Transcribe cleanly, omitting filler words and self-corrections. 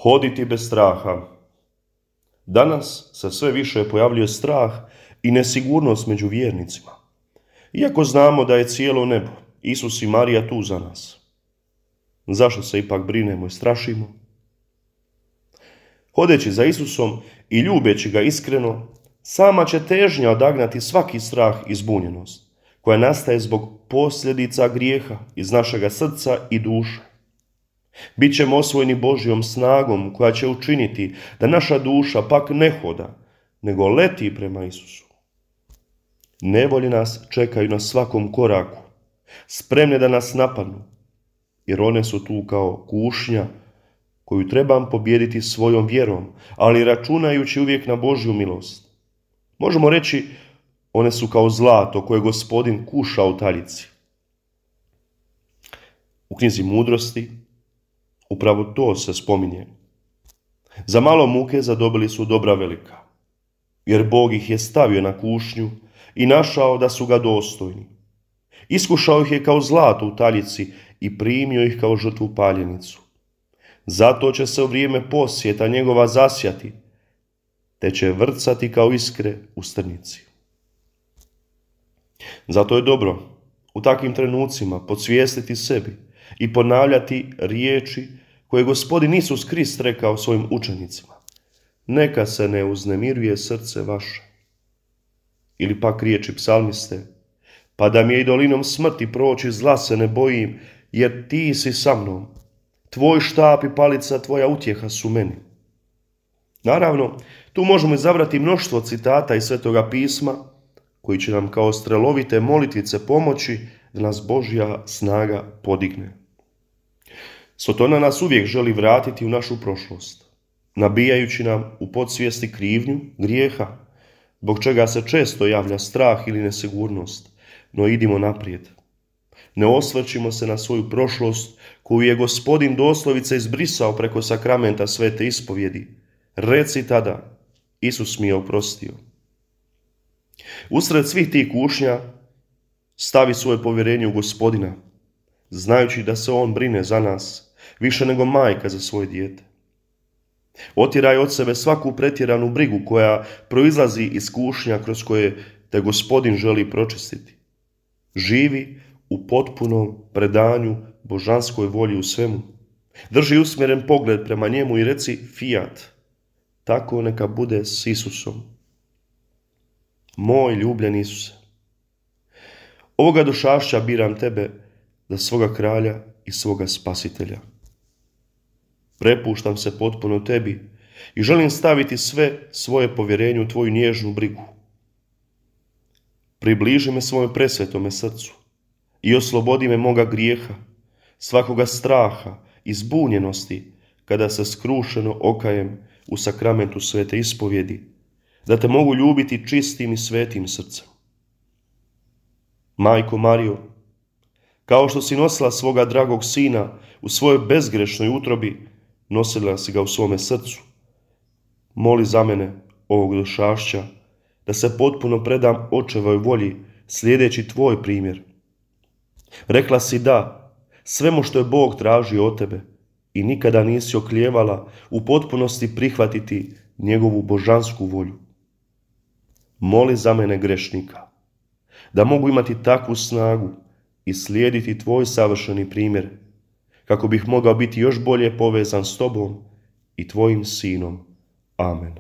Hoditi bez straha. Danas se sve više pojavljuje strah i nesigurnost među vjernicima. Iako znamo da je cijelo nebo, Isus i Marija tu za nas. Zašto se ipak brinemo i strašimo? Hodeći za Isusom i ljubeći ga iskreno, sama će težnja odagnati svaki strah i zbunjenost, koja nastaje zbog posljedica grijeha iz našega srca i duše. Bićemo osvojeni Božjom snagom koja će učiniti da naša duša pak ne hoda, nego leti prema Isusu. Nevolje nas čekaju na svakom koraku, spremne da nas napadnu, jer one su tu kao kušnja koju trebam pobijediti svojom vjerom, ali računajući uvijek na Božju milost. Možemo reći, one su kao zlato koje Gospodin kuša u taljici. U knjizi Mudrosti upravo to se spominje. Za malo muke zadobili su dobra velika, jer Bog ih je stavio na kušnju i našao da su ga dostojni. Iskušao ih je kao zlato u taljici i primio ih kao žrtvu paljenicu. Zato će se u vrijeme posjeta njegova zasjati, te će vrcati kao iskre u strnici. Zato je dobro u takvim trenucima podsvijestiti sebi i ponavljati riječi koje Gospodin Isus Krist rekao svojim učenicima. Neka se ne uznemiruje srce vaše. Ili pak riječi psalmiste. Pa da mi je i dolinom smrti proći, zla se ne bojim, jer ti si sa mnom. Tvoj štap i palica, tvoja utjeha su meni. Naravno, tu možemo izabrati mnoštvo citata iz Svetoga pisma, koji će nam kao strelovite molitvice pomoći da nas Božja snaga podigne. Sotona nas uvijek želi vratiti u našu prošlost, nabijajući nam u podsvijesti krivnju, grijeha, zbog čega se često javlja strah ili nesigurnost, no idimo naprijed. Ne osvrćimo se na svoju prošlost koju je Gospodin doslovice izbrisao preko sakramenta svete ispovjedi. Reci tada, Isus mi je oprostio. Usred svih tih kušnja stavi svoje povjerenje u Gospodina, znajući da se On brine za nas, više nego majka za svoje dijete. Otjeraj od sebe svaku pretjeranu brigu koja proizlazi iz kušnja kroz koje te Gospodin želi pročistiti. Živi u potpunom predanju božanskoj volji u svemu. Drži usmjeren pogled prema njemu i reci fiat. Tako neka bude s Isusom. Moj ljubljeni Isuse, ovoga došašća biram tebe za svoga kralja i svoga spasitelja. Prepuštam se potpuno tebi i želim staviti sve svoje povjerenje u tvoju nježnu brigu. Približi me svome presvetome srcu i oslobodi me moga grijeha, svakoga straha i zbunjenosti kada se skrušeno okajem u sakramentu svete ispovjedi, da te mogu ljubiti čistim i svetim srcem. Majko Marijo, kao što si nosila svoga dragog sina u svojoj bezgrešnoj utrobi, nosila si ga u svome srcu. Moli za mene ovog došašća, da se potpuno predam očevoj volji, slijedeći tvoj primjer. Rekla si da svemu što je Bog tražio od tebe i nikada nisi oklijevala u potpunosti prihvatiti njegovu božansku volju. Moli za mene grešnika, da mogu imati takvu snagu i slijediti tvoj savršeni primjer, kako bih mogao biti još bolje povezan s tobom i tvojim sinom. Amen.